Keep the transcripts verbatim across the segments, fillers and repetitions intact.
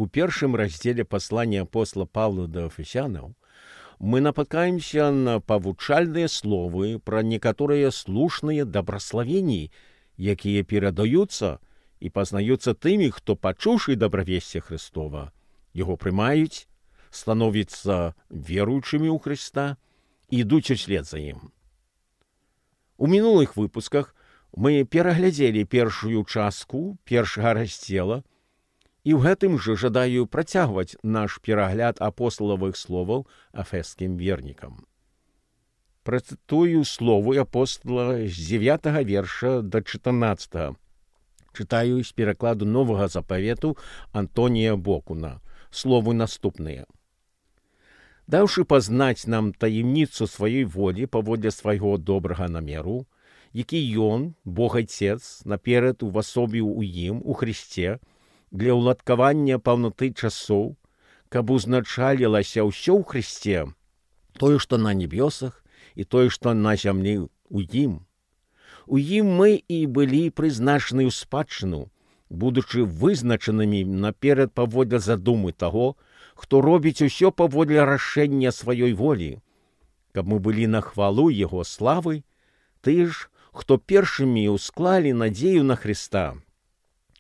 У першым раздзеле паслання апостола Павла да Эфесянаў мы напаткаемся на павучальныя словы пра некаторыя слушныя дабраславенні, якія перадаюцца і пазнаюцца тымі, хто, пачуўшы дабравесце Христова, яго прымаюць, становяцца веруючымі ў Хрыста і ідуць услед за ім. У мінулых выпусках мы пераглядзелі першую частку першага раздзела, і ў гэтым жа жадаю працягваць наш перагляд апосталавых словаў эфескім вернікам. Працытую словы апостала з дзевятага верша да чатырнаццатага. Чытаю з перакладу новага запавету Антонія Бокуна. Словы наступныя. «Даўшы пазнаць нам таемніцу сваёй волі паводле свайго добрага намеру, які ён, Бог Айцец, наперад увасобіў у ім, у Христе, для ўладкавання паўноты часоў, каб узначалілася ўсё ў Христе, тое, што на небёсах, і тое, што на зямлі ў ім. У ім мы і былі прызначаны ў спадчыну, будучы вызначанымі наперад паводле задумы таго, хто робіць усё паводле рашэння сваёй волі, каб мы былі на хвалу яго славы, ты ж, хто першымі ўсклалі надзею на Христа.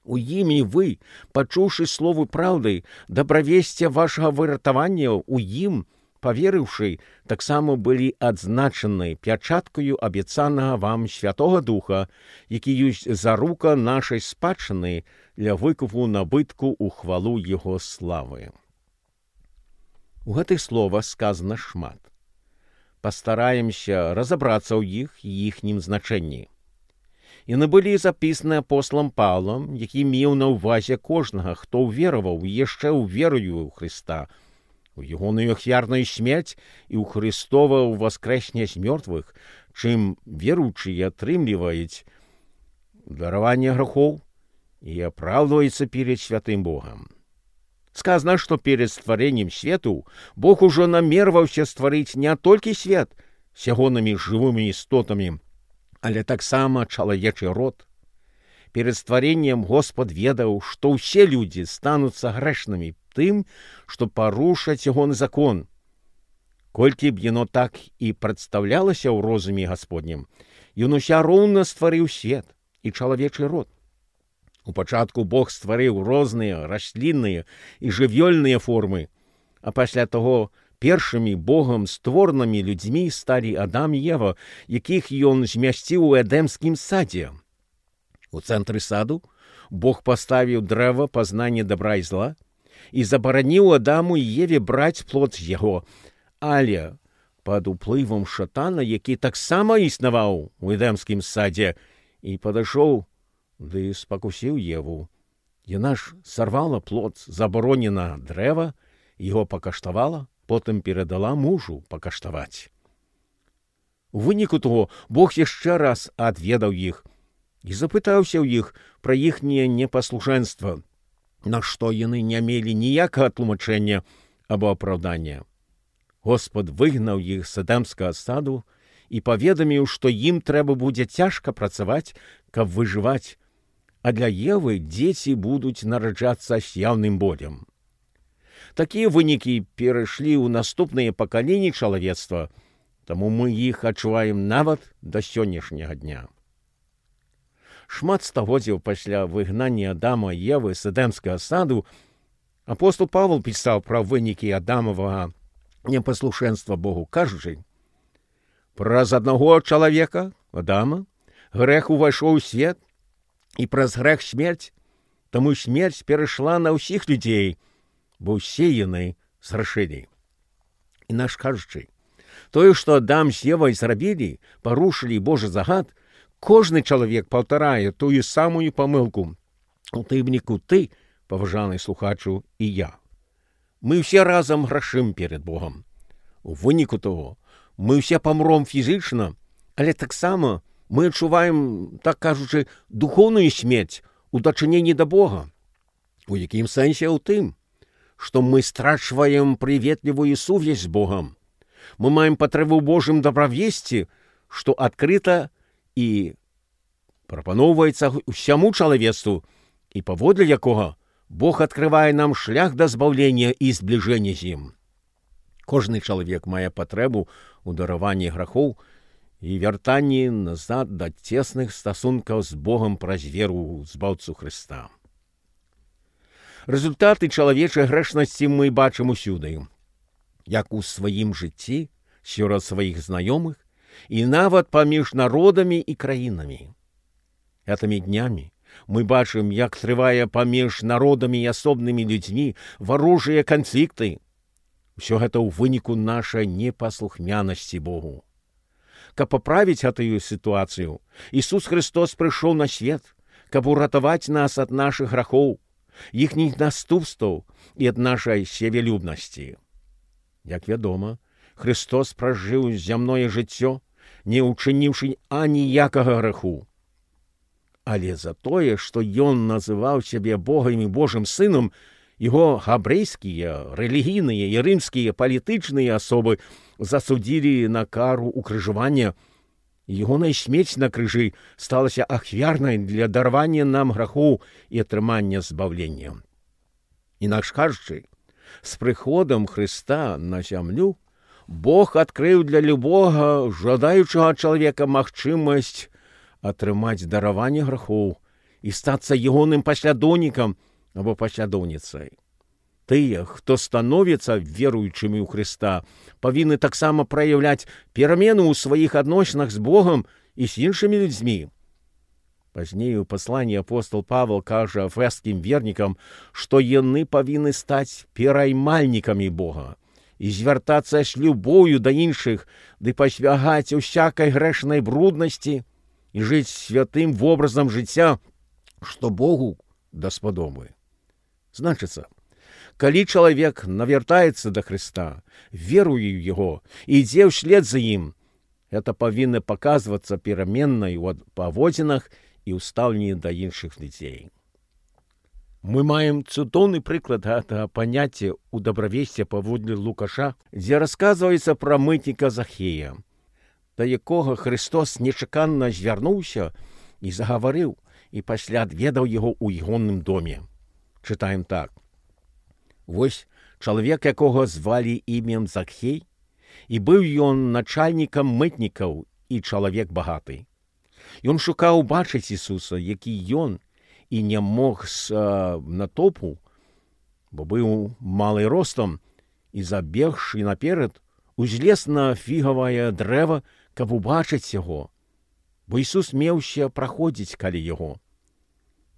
У ім і вы, пачуўшы словы праўды, дабравесце вашага выратавання, у ім, паверыўшы, таксама былі адзначаны пячаткаю абяцанага вам Святога Духа, які ёсць зарука нашай спадчыны для выкупу набытку ў хвалу яго славы. У гэтых словах сказана шмат. Пастараемся разабрацца ў іх і іхнім значэнні. Яны былі запісаны апосталам Паўлам, які меў на ўвазе кожнага, хто ўвераваў яшчэ ў верою ў Хрыста, у ягоную ахвярную смерць і ў Хрыстова ўваскрэсне з мёртвых, чым веруючыя атрымліваюць дараванне грахоў і апраўдваюцца перед святым Богам. Сказано, што перед стварэннем свету Бог ужо намерваўся стварыць не толькі свет з ягонымі жывымі істотамі, але таксама чалавечы род. Перед стварэннем Господ ведаў, што ўсе людзі стануцца грэшнымі тым, што парушаць ягоны закон. Колькі б яно так і прадстаўлялася ў розуме Гасподнім, ён уся роўна стварыў свет і чалавечы род. У пачатку Бог стварыў розныя раслінныя і жывёльныя формы, а пасля таго першымі Богам створанымі людзьмі сталі Адам і Ева, якіх ён змясціў у Эдэмскім садзе. У цэнтры саду Бог паставіў дрэва пазнання добра і зла і забараніў Адаму і Еве браць плод з яго, але пад уплывам шатана, які таксама існаваў у Эдэмскім садзе, і падышоў ды спакусіў Еву. Яна ж сарвала плод забаронена дрэва, яго пакаштавала, потым перадала мужу пакаштаваць. У выніку того Бог яшчэ раз адведаў іх і запытаўся ў іх пра іхняе непаслушэнства, на што яны не мелі ніякага тлумачэння або апраўдання. Господ выгнаў іх з Эдэмскага саду і паведаміў, што ім трэба будзе цяжка працаваць, каб выжываць, а для Евы дзеці будуць нараджацца з яўным болем. Такія вынікі перайшлі ў наступныя пакаленні чалавецтва, таму мы іх адчуваем нават да сённяшняга дня. Шмат стагоддзяў пасля выгнання Адама і Евы з Эдэмскага саду апостол Павел пісаў пра вынікі Адамавага непаслушэнства Богу, кажучы: «Праз аднаго чалавека, Адама, грэх увайшоў у свет, і праз грэх смерць, таму смерць перайшла на ўсіх людзей, бо ўсе яны згрэшылі». Інакш кажучы, тое, што Адам з Евай зрабілі, парушылі Божы загад, кожны чалавек паўтарае тую самую памылку, у тым ліку ты, паважаны слухачу, і я. Мы ўсе разам грашым перед Богам. У выніку того, мы ўсе памром фізічна, але таксама мы адчуваем, так кажучы, духоўную смерць у дачыненні да Бога. У якім сэнсе ў тым, што мы страчваем прыветлівую сувязь з Богам. Мы маем патрэбу ў Божым дабравесці, што адкрыта і прапаноўваецца ўсяму чалавецтву, і паводле якога Бог открывае нам шлях да збаўлення і збліжэння з ім. Кожны чалавек мае патрэбу ў дараванні грахоў і вяртанні назад да цесных стасункаў з Богам праз веру ў збаўцу Хрыста. Рэзультаты чалавечай грэшнасці мы бачым усюды, як у сваім жыцці, сярод сваіх знаёмых і нават паміж народамі і краінамі. Гэтымі днямі мы бачым, як трывае паміж народамі і асобнымі людзьмі варожыя канфлікты. Усё гэта ў выніку нашай непаслухмянасці Богу. Каб паправіць гэтую сітуацыю, Ісус Хрыстос прыйшоў на свет, каб уратаваць нас ад нашых грахоў, іхніх наступстваў і ад нашай севялюбнасці. Як вядома, Христос пражыў зямное жыццё, не ўчыніўшы аніякага граху. Але за тое, што ён называў сябе Богам і Божым сынам, яго габрэйскія, рэлігійныя і рымскія палітычныя асобы засудзілі на кару укрыжавання. Ягоная смерць на крыжы сталася ахвярнай для дарвання нам грахоў і атрымання збаўлення. Інакш кажучы, з прыходам Хрыста на зямлю Бог адкрыў для любога жадаючага чалавека магчымасць атрымаць дараванне грахоў і стацца ягоным паслядоўнікам або паслядоўніцай. Тыя, хто становіцца веруючымі ў Хрыста, павінны таксама праяўляць перамену ў сваіх адносінах з Богам і з іншымі людзьмі. Пазней у пасланні апостол Павел кажа эфескім вернікам, што яны павінны стаць пераймальнікамі Бога і звяртацца з любоўю да іншых, ды пасвягаць усякай грэшнай бруднасці і жыць святым вобразам жыцця, што Богу даспадобы. Значыцца, калі чалавек навяртаецца да Хрыста, веруе ў Яго і ідзе ўслед за ім, гэта павінна паказвацца пераменнай у паводзінах і ў стаўленні да іншых людзей. Мы маем цудоўны прыклад гэтага паняцця ў дабравесці паводле Лукаша, дзе расказваецца пра мытніка Захея, да якога Христос нечаканна звярнуўся і загаварыў, і пасля адведаў яго ў ягоным доме. Чытаем так. Вось чалавек, якога звалі імем Захей, і быў ён начальнікам мытнікаў і чалавек багаты. Ён шукаў бачыць Ісуса, які ён, і не мог з а, натопу, бо быў малы ростам, і забегшы наперад, узлез на фігавае дрэва, каб убачыць яго, бо Ісус меўся праходзіць каля яго.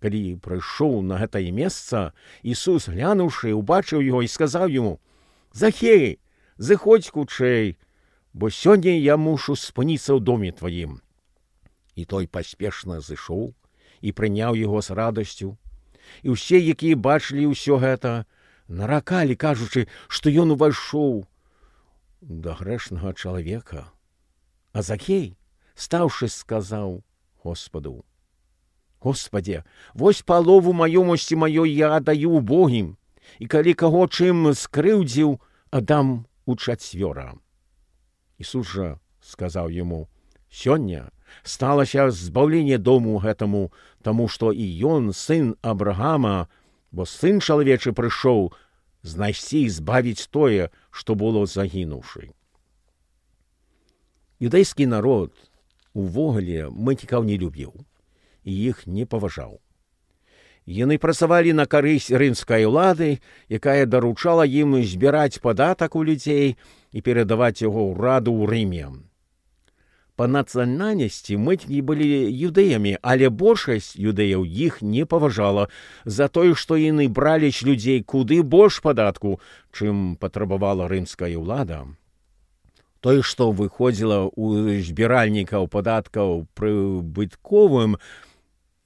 Калі прыйшоў на гэтае месца, Ісус, глянуўшы, убачыў яго і сказаў яму: «Захей, зыходзь хутчэй, бо сёння я мушу спыніцца ў доме тваім». І той паспешна зышоў і прыняў яго з радасцю. І ўсе, якія бачылі ўсё гэта, наракалі, кажучы, што ён увайшоў да грэшнага чалавека. А Захей, стаўшы, сказаў Господу: «Господзе, вось палову маёмасці маёй я аддаю убогім, і калі каго чым скрыўдзіў, аддам учацвёра». Ісус жа сказаў яму: «Сёння сталася збаўленне дому гэтаму, таму што і ён сын Абрагама, бо сын чалавечы прыйшоў знайсці і збавіць тое, што было загінуўшы». Юдэйскі народ увогуле мытнікаў не любіў і іх не паважаў. Яны працавалі на карысць рымскай улады, якая даручала ім збіраць падатак у людзей і перадаваць яго ўраду ў Рыме. Па нацыянальнасці мытнікі былі юдэямі, але большасць юдэяў іх не паважала за тое, што яны бралі з людзей куды больш падатку, чым патрабавала рымская ўлада. Тое, што выходзіла ў збіральнікаў падаткаў прыбытковым,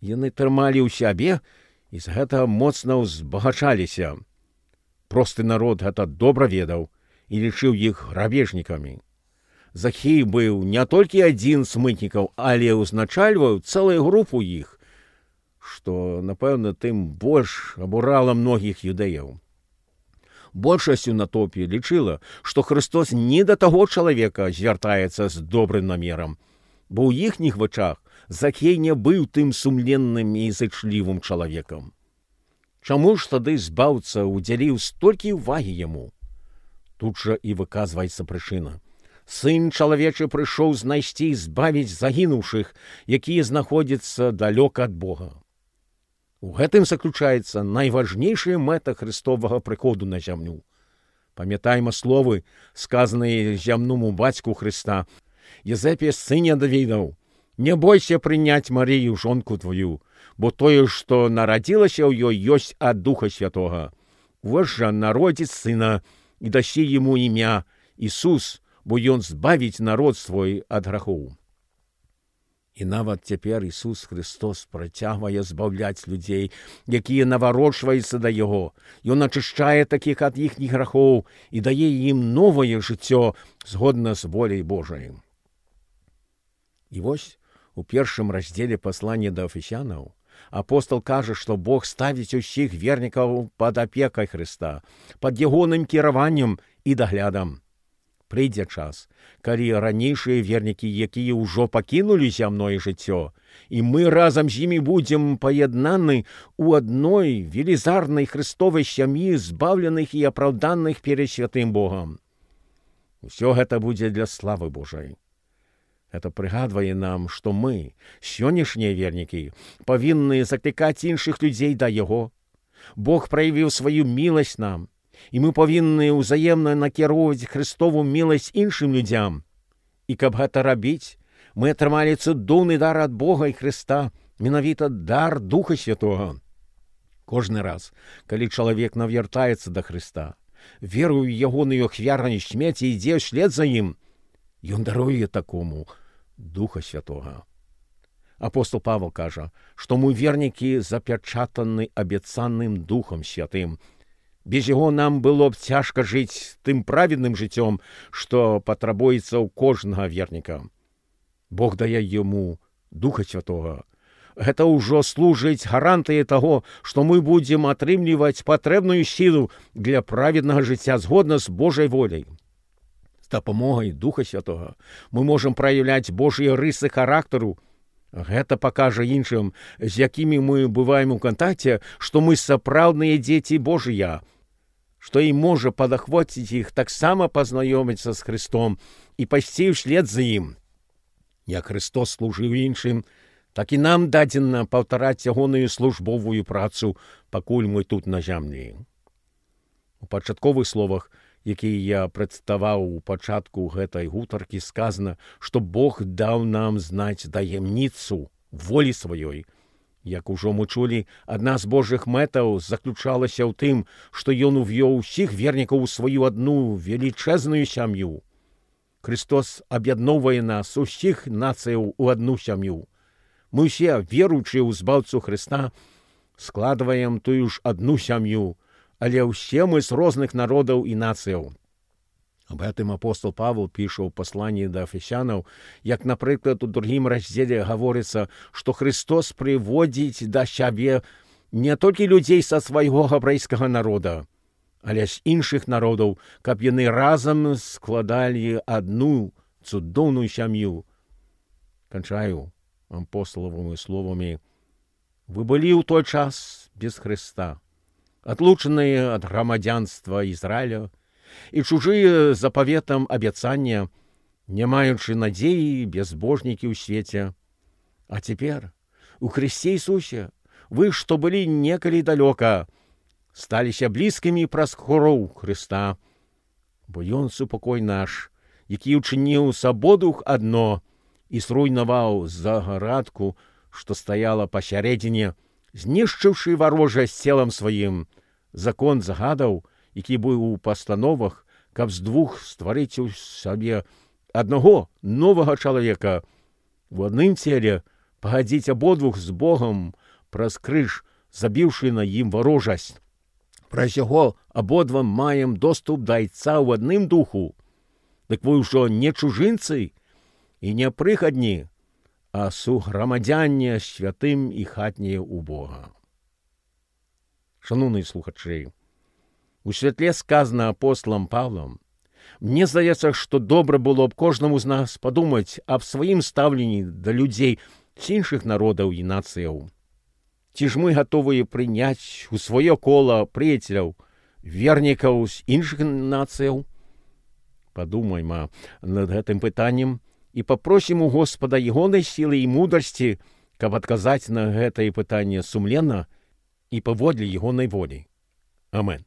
яны трымалі ў сябе і з гэтага моцна ўзбагачаліся. Просты народ гэта добра ведаў і лічыў іх грабежнікамі. Захей быў не толькі адзін з мытнікаў, але ўзначальваў цэлую групу іх, што, напэўна, тым больш абурала многіх юдэяў. Большасць у натоўпе лічыла, што Христос не да таго чалавека звяртаецца з добрым намерам, бо ў іхніх вачах Захей не быў тым сумленным і зычлівым чалавекам. Чаму ж тады збаўца ўдзяліў столькі ўвагі яму? Тут жа і выказваецца прычына. Сын чалавечы прыйшоў знайсці і збавіць загінуўшых, якія знаходзяцца далёка ад Бога. У гэтым заключаецца найважнейшая мэта Христовага прыходу на зямлю. Памятайма словы, сказаныя зямному бацьку Христа: «Езэпе, сыне Давідаў, не бойся прыняць Марыю, жонку твою, бо тое, што нарадзілася ў ёй, ёсць ад Духа Святога. Вось жа народзіць сына, і дасі яму імя Ісус, бо ён збавіць народ свой ад грахоў». І нават цяпер Ісус Христос працягвае збаўляць людзей, якія наварочваюцца да Яго. Ён ачышчае такіх ад іхніх грахоў і дае ім новае жыццё згодна з воляй Божай. І вось у першым раздзеле паслання да Эфесянаў апостол кажа, што Бог ставіць усіх вернікаў пад апекай Хрыста, пад ягоным кіраваннем і даглядам. Прыйдзе час, калі ранейшыя вернікі, якія ўжо пакінулі зямное жыццё, і мы разам з імі будзем паяднаны ў адной велізарнай Христовай сям'і, збаўленых і апраўданых перад святым Богам. Усё гэта будзе для славы Божай. Это прыгадвае нам, што мы, сённяшнія вернікі, павінны заклікаць іншых людзей да Яго. Бог праявіў сваю міласць нам, і мы павінны ўзаемна накіроўваць Христову міласць іншым людзям. І каб гэта рабіць, мы атрымалі цудоўны дар ад Бога і Христа, менавіта дар Духа Святога. Кожны раз, калі чалавек навяртаецца да Христа, веруе ў ягоную ахвярную смерць і ідзе ўслед за ім, ён даруе такому Духа Святога. Апостол Павел кажа, што мы вернікі запячатаны абяцаным Духам Святым. Без яго нам было б цяжка жыць тым праведным жыццём, што патрабуецца ў кожнага верніка. Бог дае яму Духа Святога. Гэта ўжо служыць гарантыяй таго, што мы будзем атрымліваць патрэбную сілу для праведнага жыцця згодна з Божай воляй. З дапамогай Духа Святога мы можам праяўляць Божыя рысы характару. Гэта пакажа іншым, з якімі мы бываем у кантакце, што мы сапраўдныя дзеці Божыя, што і можа падахвоціць іх таксама пазнаёміцца з Христом і пайсці ўслед за ім. Як Христос служыў іншым, так і нам дадзена паўтараць ягоную службовую працу, пакуль мы тут на зямлі. У пачатковых словах, якія я прадставаў у пачатку гэтай гутаркі, сказана, што Бог даў нам знаць таямніцу волі сваёй. Як ужо мы чулі, адна з Божых мэтаў заключалася ў тым, што ён увёў усіх вернікаў у сваю адну велічэзную сям'ю. Христос аб'ядноўвае нас, усіх нацыяў, у адну сям'ю. Мы ўсе, веруючыя ў збаўцу Христа, складваем тую ж адну сям'ю, але ўсе мы з розных народаў і нацыяў. Аб гэтым апостол Павел піша ў пасланні да Эфесянаў, як, напрыклад, у другім раздзеле гаворыцца, што Христос прыводзіць да сябе не толькі людзей са свайго габрэйскага народа, але з іншых народаў, каб яны разам складалі адну цудоўную сям'ю. Канчаю апостолавымі словамі: «Вы былі ў той час без Христа, адлучаныя ад грамадзянства Ізраіля і чужыя запаветам абяцання, не маючы надзеі, безбожнікі ў свеце. А цяпер, у Христе Ісусе, вы, што былі некалі далёка, сталіся блізкімі праз кроў Христа, бо Ён супакой наш, які ўчыніў с абодвух адно і зруйнаваў загарадку, што стаяла пасярэдзіне, знішчыўшы варожа з целам сваім, закон загадаў, які быў у пастановах, каб з двух стварыць у сабе аднаго новага чалавека, у адным целе пагадзіць абодвух з Богам праз крыж, забіўшы на ім варожасць. Праз яго абодва маем доступ да Айца ў адным духу. Дык вы ўжо не чужынцы і не прыхадні, а суграмадзяне святым і хатнія ў Бога». Шановні слухачі, у святле сказана апостолам Павлом, мне здаецца, што добра было б кожнаму з нас падумаць аб сваім стаўленні да людзей з іншых народаў і нацыяў. Ці ж мы гатовыя прыняць у сваё кола прыяцеляў, вернікаў з іншых нацыяў? Падумайма над гэтым пытаннем і папросім у Господа ягонай сілы і мудрасці, каб адказаць на гэтае пытанне сумленна і паводле ягонай волі. Амен.